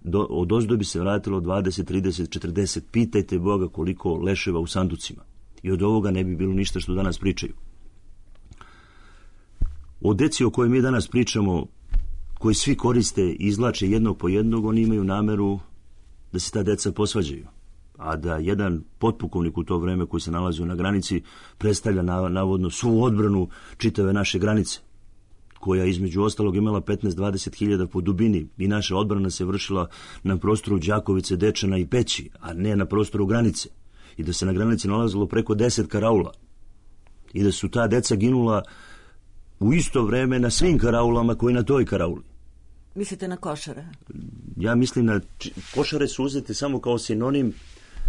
do, od ozdo bi se vratilo dvadeset, trideset, četrdeset, pitajte Boga koliko leševa u sanducima. I od ovoga ne bi bilo ništa što danas pričaju. O deci o kojoj mi danas pričamo, koji svi koriste i izvlače jednog po jednog, oni imaju nameru da se ta deca posvađaju. A da jedan potpukovnik u to vreme koji se nalazio na granici predstavlja navodno svu odbranu čitave naše granice, koja između ostalog imala petnaest do dvadeset hiljada po dubini, i naša odbrana se vršila na prostoru Đakovice, Dečana i Peći, a ne na prostoru granice. I da se na granici nalazilo preko deset karaula. I da su ta deca ginula u isto vreme na svim karaulama koji na toj karauli. Mislite na Košare? Ja mislim na... Košare su uzete samo kao sinonim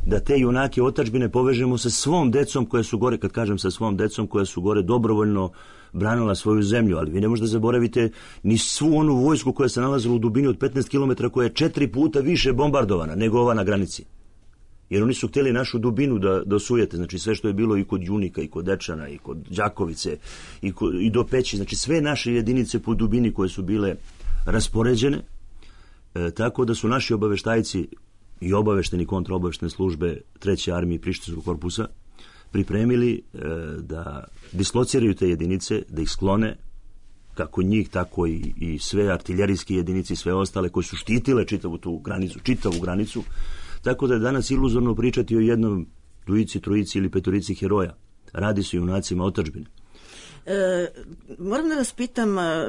da te junake otadžbine povežemo sa svom decom koja su gore, kad kažem sa svom decom, koja su gore dobrovoljno branila svoju zemlju, ali vi ne možete zaboraviti ni svu onu vojsku koja se nalazila u dubini od petnaest kilometara, koja je četiri puta više bombardovana nego ova na granici. Jer oni su htjeli našu dubinu da, da osujete, znači sve što je bilo i kod Junika, i kod Dečana, i kod Đakovice, i, kod, i do Peći, znači sve naše jedinice po dubini koje su bile raspoređene, e, tako da su naši obaveštajci i obavešteni kontraobaveštene službe treće armije i Prištinskog korpusa pripremili e, da dislociraju te jedinice, da ih sklone, kako njih, tako i, i sve artiljerijske jedinice i sve ostale koje su štitile čitavu tu granicu, čitavu granicu, tako da je danas iluzorno pričati o jednom, dvojici, trojici ili petorici heroja. Radi se o junacima otadžbine. E, moram da vas pitam,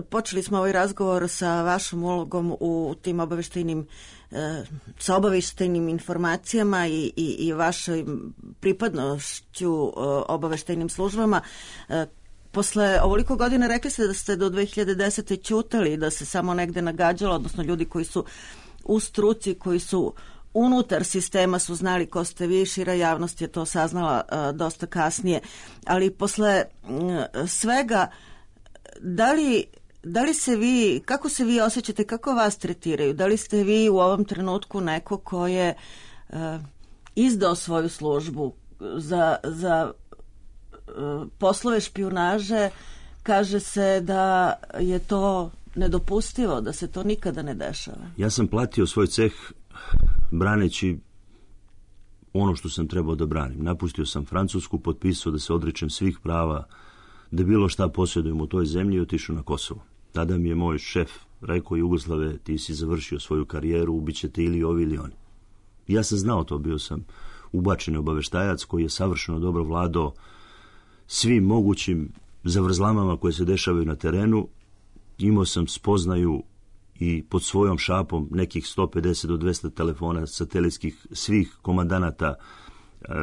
počeli smo ovaj razgovor sa vašom ulogom u tim obaveštajnim, e, sa obaveštajnim informacijama i, i, i vašoj pripadnošću e, obaveštajnim službama. E, posle ovoliko godina rekli ste da ste do dve hiljade desete. ćutali, da se samo negde nagađalo, odnosno ljudi koji su u struci, koji su unutar sistema su znali ko ste vi, šira javnost je to saznala uh, dosta kasnije, ali posle uh, svega, da li, da li se vi, kako se vi osjećate, kako vas tretiraju, da li ste vi u ovom trenutku neko ko je uh, izdao svoju službu za, za uh, poslove špijunaže? Kaže se da je to nedopustivo, da se to nikada ne dešava. Ja sam platio svoj ceh braneći ono što sam trebao da branim. Napustio sam Francusku, potpisao da se odričem svih prava, da bilo šta posjedujem u toj zemlji, i otišao na Kosovo. Tada mi je moj šef rekao: Jugoslave, ti si završio svoju karijeru, ubićete ili ovi ili oni. Ja sam znao to, bio sam ubačeni obaveštajac koji je savršeno dobro vladao svim mogućim zavrzlamama koje se dešavaju na terenu. Imao sam spoznaju i pod svojom šapom nekih sto pedeset do dvesta telefona satelitskih svih komandanata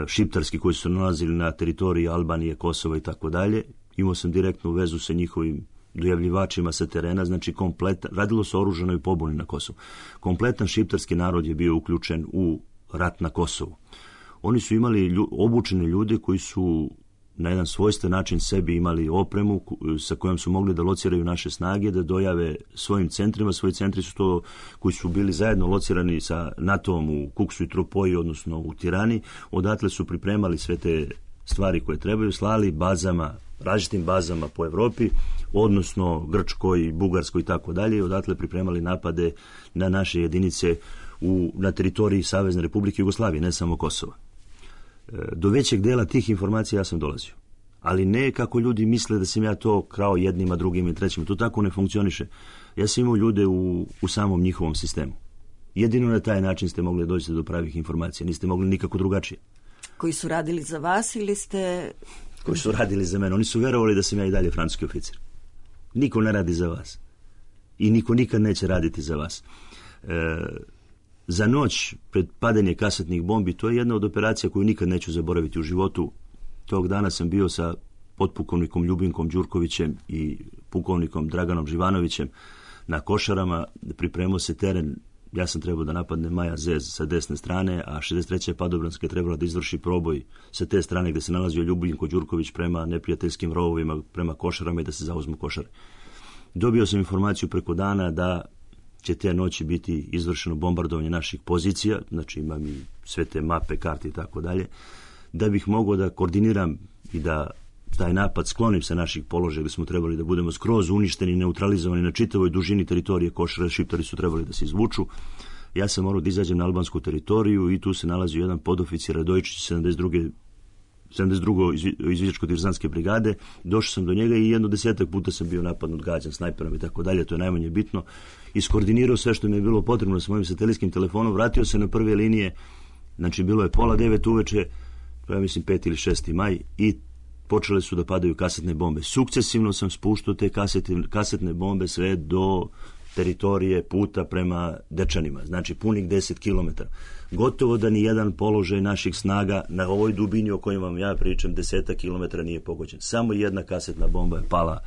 šiptarskih koji su nalazili na teritoriji Albanije, Kosova i tako dalje. Imao sam direktnu vezu sa njihovim dojavljivačima sa terena, znači kompletan, radilo se o oružanoj pobuni na Kosovu. Kompletan šiptarski narod je bio uključen u rat na Kosovu. Oni su imali lju, obučene ljude koji su na jedan svojstven način sebi imali opremu sa kojom su mogli da lociraju naše snage, da dojave svojim centrima. Svoji centri su to koji su bili zajedno locirani sa NATO-om u Kuksu i Tropoji, odnosno u Tirani. Odatle su pripremali sve te stvari koje trebaju, slali bazama, različitim bazama po Evropi, odnosno Grčkoj, Bugarskoj i tako dalje, i odatle pripremali napade na naše jedinice u, na teritoriji Savezne Republike Jugoslavije, ne samo Kosova. Do većeg dela tih informacija ja sam dolazio. Ali ne kako ljudi misle da sam ja to krao jednima, drugima i trećima. To tako ne funkcioniše. Ja sam imao ljude u, u samom njihovom sistemu. Jedino na taj način ste mogli doći do pravih informacija. Niste mogli nikako drugačije. Koji su radili za vas ili ste... Koji su radili za mene. Oni su verovali da sam ja i dalje francuski oficir. Niko ne radi za vas. I niko nikad neće raditi za vas. E, Za noć pred padanje kasetnih bombi, to je jedna od operacija koju nikad neću zaboraviti u životu. Tog dana sam bio sa potpukovnikom Ljubinkom Đurkovićem i pukovnikom Draganom Živanovićem na Košarama. Pripremao se teren ja sam trebao da napadne Maja Zez sa desne strane, a šezdeset treća padobranska je trebala da izvrši proboj sa te strane gde se nalazio Ljubinko Đurković prema neprijateljskim rovovima, prema Košarama i da se zauzmu Košare. Dobio sam informaciju preko dana da će te noći biti izvršeno bombardovanje naših pozicija, znači imam i sve te mape, karte i tako dalje, da bih mogao da koordiniram i da taj napad sklonim sa naših položaja gde smo trebali da budemo skroz uništeni, neutralizovani na čitavoj dužini teritorije Košara, Šiptari su trebali da se izvuču. Ja sam morao da izađem na albansku teritoriju i tu se nalazio jedan podoficir Radojičić sedamdeset druge sedamdeset druge izviđačko-diverzantske brigade. Došao sam do njega i jedno desetak puta sam bio napadnut, gađan snajperom i tako dalje, to je najmanje bitno. Iskoordinirao sve što mi je bilo potrebno sa mojim satelitskim telefonom, vratio se na prve linije, znači bilo je pola devet uveče, ja mislim peti ili šesti maj, i počele su da padaju kasetne bombe. Sukcesivno sam spuštao te kasetne, kasetne bombe sve do teritorije puta prema Dečanima, znači punih deset kilometara. Gotovo da ni jedan položaj naših snaga na ovoj dubini o kojoj vam ja pričam, deseta kilometara, nije pogođen. Samo jedna kasetna bomba je pala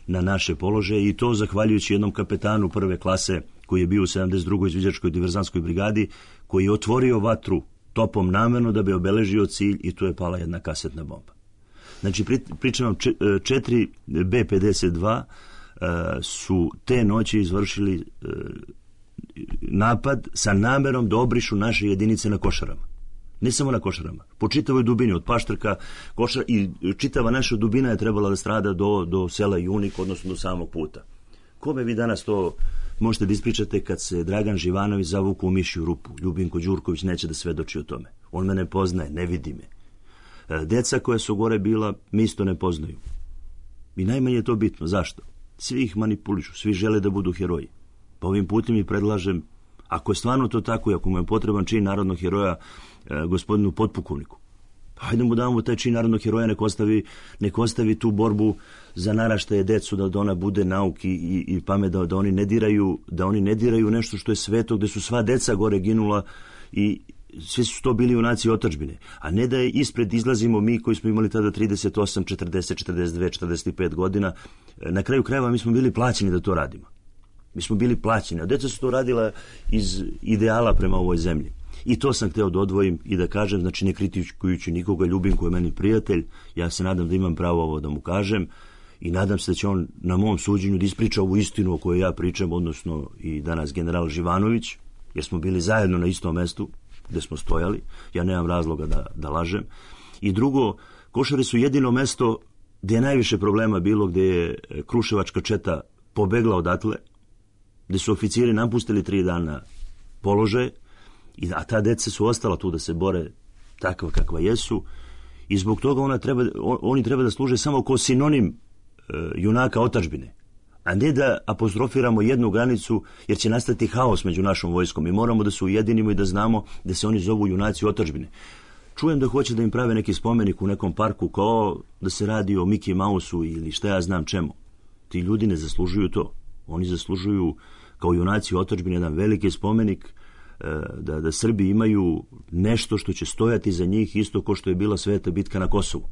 na naše položaje i to zahvaljujući jednom kapetanu prve klase koji je bio u sedamdeset drugoj izviđačkoj diverzantskoj brigadi, koji je otvorio vatru topom namerno da bi obeležio cilj i tu je pala jedna kasetna bomba. Znači, pričam vam, četiri be pedeset dva su te noći izvršili napad sa namerom da obrišu naše jedinice na Košarama. Ne samo na Košarama, po čitavoj dubini, od Paštrka, Košara, i čitava naša dubina je trebala da strada do, do sela Junik, odnosno do samog puta. Kome vi danas to možete da ispričate kad se Dragan Živanović zavuku u mišju rupu? Ljubinko Đurković neće da svedoči o tome. On me ne poznaje, ne vidi me. Deca koja su gore bila, mi isto ne poznaju. I najmanje je to bitno. Zašto? Svi ih manipulišu, svi žele da budu heroji. Pa ovim putem i predlažem, ako je stvarno to tako i ako mu je potreban čin narodnog heroja e, gospodinu potpukovniku, pa hajde mu damo taj čin narodnog heroja, nek ostavi, nek ostavi tu borbu za naraštaje decu, da ona bude nauki i, i pamet, da, da oni ne diraju, da oni ne diraju nešto što je sveto, gde su sva deca gore ginula i svi su to bili junaci otadžbine, a ne da je ispred izlazimo mi koji smo imali tada trideset osam, četrdeset, četrdeset dve, četrdeset pet godina. Na kraju krajeva mi smo bili plaćeni da to radimo. Mi smo bili plaćeni, a deca su to radila iz ideala prema ovoj zemlji. I to sam hteo da odvojim i da kažem, znači ne kritikujući nikoga, ljubim koji je meni prijatelj, ja se nadam da imam pravo ovo da mu kažem i nadam se da će on na mom suđenju da ispriča ovu istinu o kojoj ja pričam, odnosno i danas general Živanović, jer smo bili zajedno na istom mestu gde smo stojali, ja nemam razloga da, da lažem. I drugo, Košare su jedino mesto gde je najviše problema bilo, gde je kruševačka četa pobegla odatle, gde su oficiri napustili tri dana položaje, a ta deca su ostala tu da se bore takva kakva jesu i zbog toga ona treba, oni treba da služe samo kao sinonim e, junaka otadžbine, a ne da apostrofiramo jednu granicu, jer će nastati haos među našom vojskom. Mi moramo da se ujedinimo i da znamo da se oni zovu junaci otadžbine. Čujem da hoće da im prave neki spomenik u nekom parku, kao da se radi o Mickey Mouseu ili šta ja znam čemu. Ti ljudi ne zaslužuju to. Oni zaslužuju kao junaci otadžbine jedan veliki spomenik, da, da Srbi imaju nešto što će stojati za njih, isto kao što je bila Sveta bitka na Kosovu.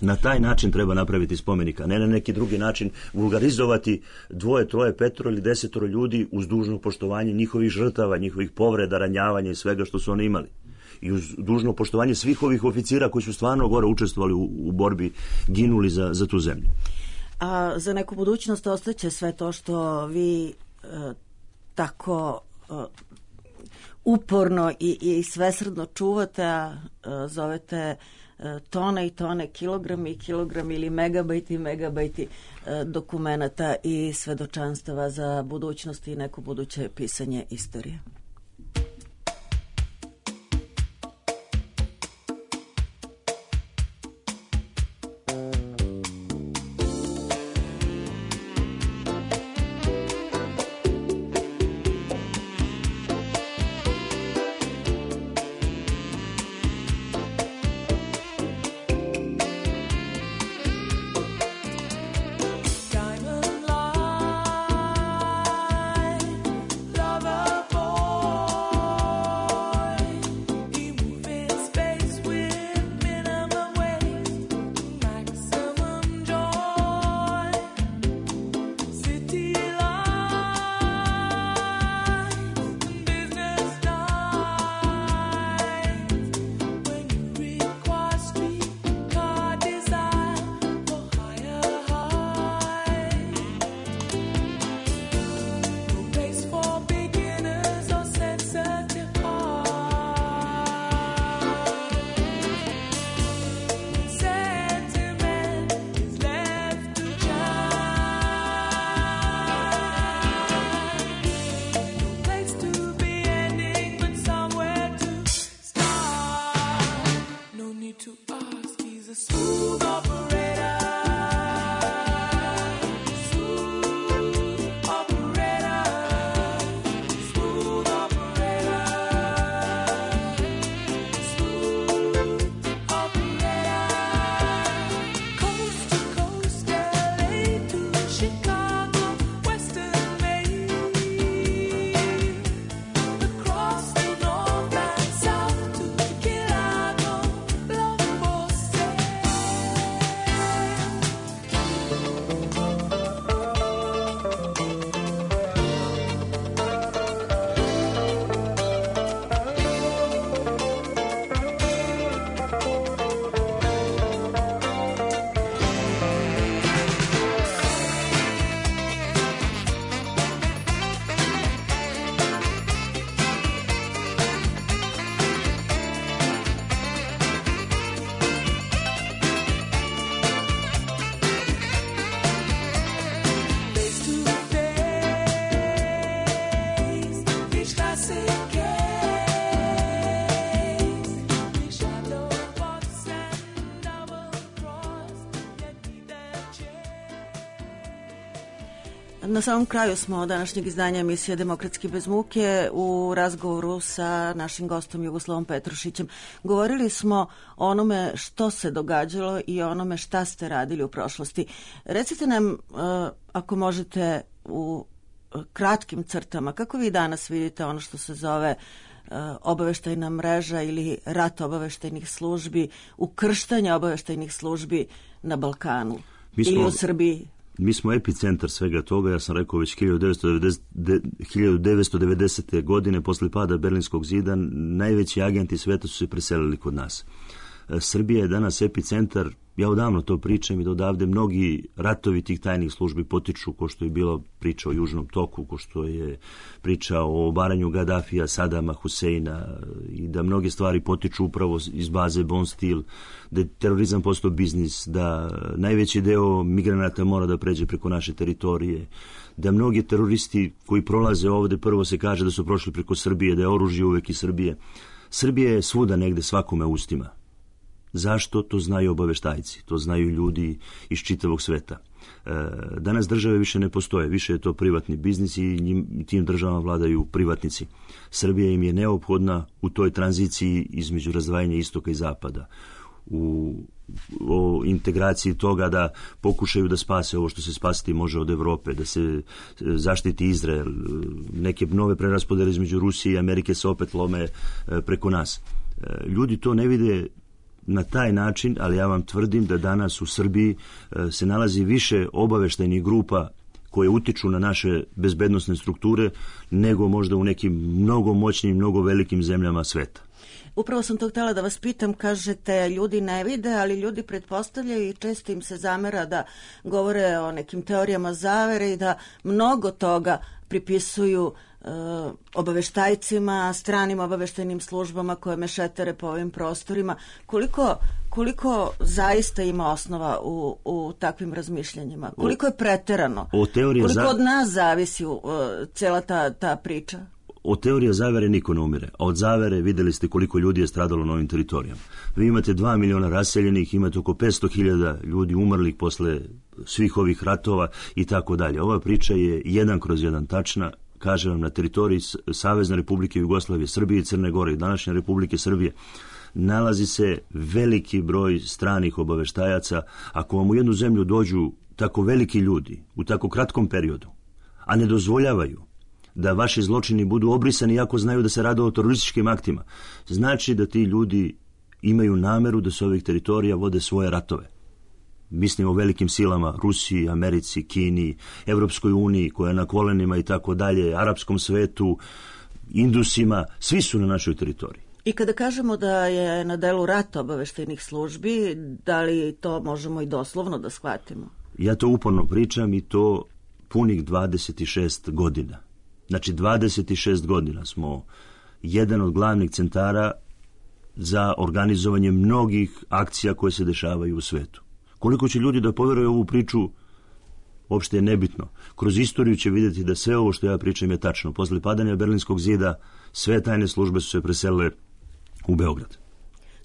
Na taj način treba napraviti spomenika, ne na neki drugi način vulgarizovati dvoje, troje, petoro ili desetoro ljudi uz dužno poštovanje njihovih žrtava, njihovih povreda, ranjavanja i svega što su oni imali. I uz dužno poštovanje svih ovih oficira koji su stvarno gore učestvovali u, u borbi, ginuli za, za tu zemlju. A za neku budućnost ostaće sve to što vi e, tako e, uporno i, i svesrdno čuvate, a e, zovete e, tone i tone, kilogrami i kilogrami ili megabajti i megabajti e, dokumenata i svedočanstava za budućnost i neko buduće pisanje istorije. Diamond line, lover boy. Na samom kraju smo današnjeg izdanja emisije Demokratski bez muke u razgovoru sa našim gostom Jugoslavom Petrušićem. Govorili smo o onome što se događalo i o onome šta ste radili u prošlosti. Recite nam, ako možete, u kratkim crtama, kako vi danas vidite ono što se zove obaveštajna mreža ili rat obaveštajnih službi, ukrštanje obaveštajnih službi na Balkanu ili u Srbiji? Mi smo epicentar svega toga, ja sam rekao već hiljadu devetsto devedesete. godine posle pada Berlinskog zida najveći agenti sveta su se preselili kod nas. Srbija je danas epicentar, ja odavno to pričam i da odavde mnogi ratovi tih tajnih službi potiču, ko što je bilo priča o Južnom toku, ko što je priča o obaranju Gadafija, Sadama, Huseina i da mnoge stvari potiču upravo iz baze Bon Stil, da je terorizam postao biznis, da najveći deo migranata mora da pređe preko naše teritorije, da mnogi teroristi koji prolaze ovde, prvo se kaže da su prošli preko Srbije, da je oružje uvek iz Srbije. Srbija je svuda negde svakome ustima. Zašto? To znaju obaveštajci, to znaju ljudi iz čitavog sveta. E, danas države više ne postoje, više je to privatni biznis i njim, tim državama vladaju privatnici. Srbija im je neophodna u toj tranziciji između razdvajanja istoka i zapada, u o integraciji toga da pokušaju da spase ovo što se spasiti može od Evrope, da se zaštiti Izrael, neke nove preraspodele između Rusije i Amerike se opet lome preko nas. Ljudi to ne vide na taj način, ali ja vam tvrdim da danas u Srbiji se nalazi više obaveštajnih grupa koje utiču na naše bezbednosne strukture nego možda u nekim mnogo moćnim, mnogo velikim zemljama sveta. Upravo sam to htjela da vas pitam, kažete ljudi ne vide, ali ljudi pretpostavljaju i često im se zamera da govore o nekim teorijama zavere i da mnogo toga pripisuju e, obaveštajcima, stranim obaveštajnim službama koje mešetere po ovim prostorima. Koliko, koliko zaista ima osnova u, u takvim razmišljanjima? Koliko je preterano? O Koliko za... od nas zavisi uh, cijela ta, ta priča? Od teorije zavere niko ne umire, a od zavere videli ste koliko ljudi je stradalo na ovim teritorijama. Vi imate dva miliona raseljenih, imate oko petsto hiljada ljudi umrlih posle svih ovih ratova i tako dalje. Ova priča je jedan kroz jedan tačna, kažem vam, na teritoriji Savezne Republike Jugoslavije, Srbije i Crne Gore i današnje Republike Srbije nalazi se veliki broj stranih obaveštajaca. Ako vam u jednu zemlju dođu tako veliki ljudi u tako kratkom periodu, a ne dozvoljavaju da vaši zločini budu obrisani iako znaju da se radi o terorističkim aktima, znači da ti ljudi imaju nameru da s ovih teritorija vode svoje ratove. Mislim o velikim silama, Rusiji, Americi, Kini, Evropskoj uniji koja je na kolenima i tako dalje, arapskom svetu, Indusima, svi su na našoj teritoriji. I kada kažemo da je na delu rat obaveštajnih službi, da li to možemo i doslovno da shvatimo? Ja to uporno pričam i to punih dvadeset šest godina. Znači dvadeset šest godina smo jedan od glavnih centara za organizovanje mnogih akcija koje se dešavaju u svetu. Koliko će ljudi da poveruju ovu priču, uopšte je nebitno. Kroz istoriju će vidjeti da sve ovo što ja pričam je tačno. Posle padanja Berlinskog zida sve tajne službe su se preselile u Beograd.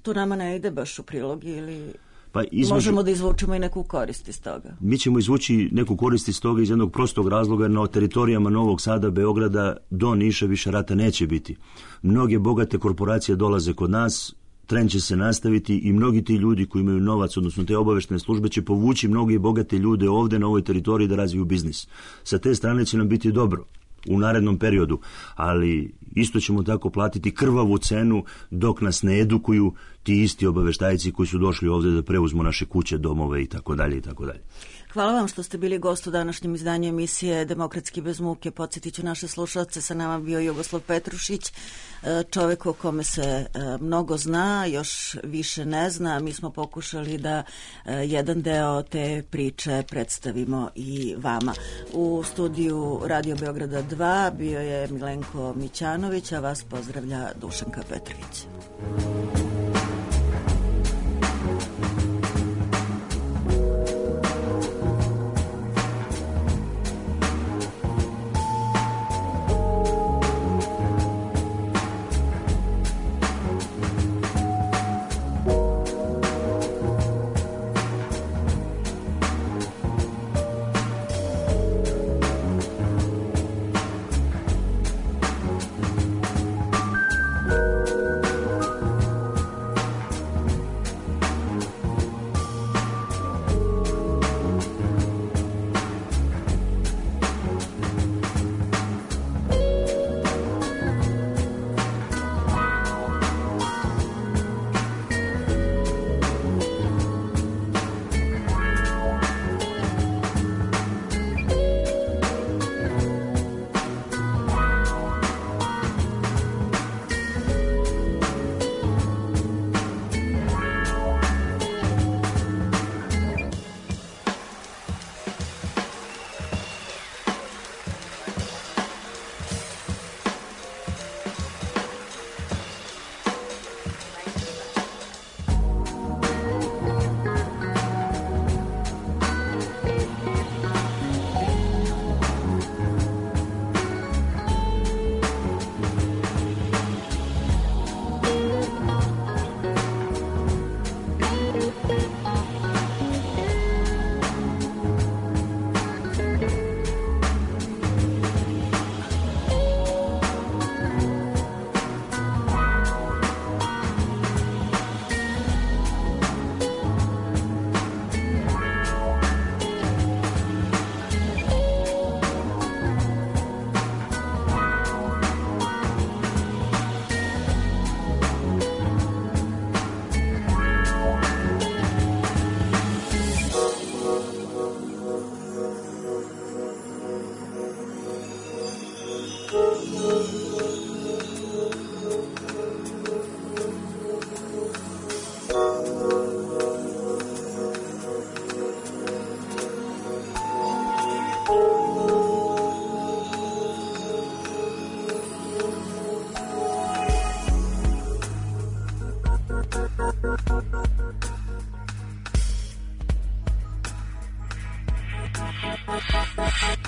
To nama ne ide baš u prilog ili... Pa između, možemo da izvučemo i neku korist iz toga. Mi ćemo izvući neku korist iz toga iz jednog prostog razloga, jer na teritorijama Novog Sada, Beograda do Niša više rata neće biti. Mnoge bogate korporacije dolaze kod nas, trend će se nastaviti i mnogi ti ljudi koji imaju novac, odnosno te obaveštene službe, će povući mnogi bogate ljude ovde na ovoj teritoriji da razviju biznis. Sa te strane će nam biti dobro u narednom periodu, ali isto ćemo tako platiti krvavu cenu dok nas ne edukuju ti isti obaveštajci koji su došli ovdje da preuzmu naše kuće, domove i tako dalje i tako dalje. Hvala vam što ste bili gost u današnjem izdanju emisije Demokratski bez muke. Podsjetit ću naše slušalce, sa nama bio Jugoslav Petrušić, čovjek o kome se mnogo zna, još više ne zna. Mi smo pokušali da jedan deo te priče predstavimo i vama. U studiju Radio Beograda dva bio je Milenko Mićanović, a vas pozdravlja Dušanka Petrović. Thank you.